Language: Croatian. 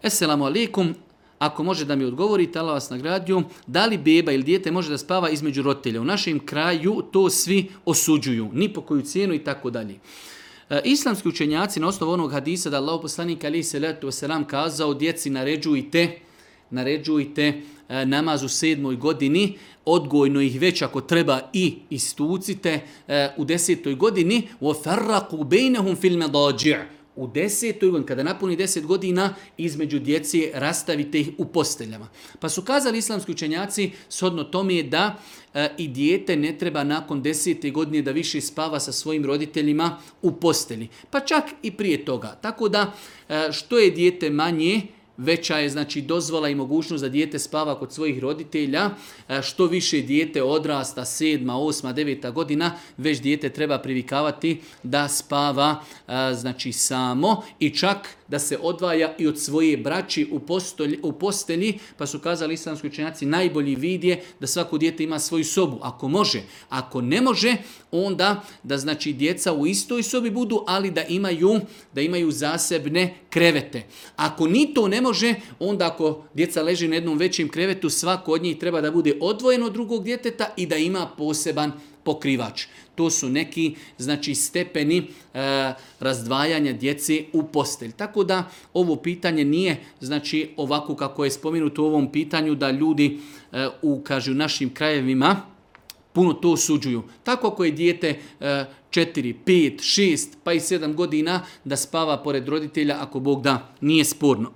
Esselamu alaikum, ako može da mi odgovorite, Allah vas nagradio, da li beba ili dijete može da spava između roditelja? U našem kraju to svi osuđuju, ni po koju cijenu i tako dalje. Islamski učenjaci na osnovu onog hadisa da Allah poslanik alejhi selatu vesselam kazao djeci naređujte namaz u 7. godini, odgojno ih već ako treba i istucite u 10. godini وَفَرَّقُوا بَيْنَهُمْ فِي الْمَضَاجِعِ. U 10. godini, kada napuni 10 godina, između djeci rastavite ih u posteljama. Pa su kazali islamski učenjaci, shodno tome je da i dijete ne treba nakon 10. godine da više spava sa svojim roditeljima u postelji. Pa čak i prije toga. Tako da što je dijete manje, veća je znači dozvola i mogućnost da dijete spava kod svojih roditelja. Što više dijete odrasta, 7., 8., 9. godina, već dijete treba privikavati da spava znači samo i čak da se odvaja i od svoje braći u postelji, pa su kazali islamski učenjaci najbolji vid je da svako dijete ima svoju sobu, ako može. Ako ne može, onda da znači djeca u istoj sobi budu, ali da imaju zasebne krevete. Ako ni to ne može, onda ako djeca leži na jednom većem krevetu, svako od njih treba da bude odvojeno od drugog djeteta i da ima poseban pokrivač. To su neki znači stepeni razdvajanja djece u postelj. Tako da ovo pitanje nije znači ovako kako je spomenuto u ovom pitanju da ljudi u našim krajevima puno to osuđuju. Tako ako je dijete 4, 5, 6 pa i 7 godina da spava pored roditelja, ako Bog da, nije sporno.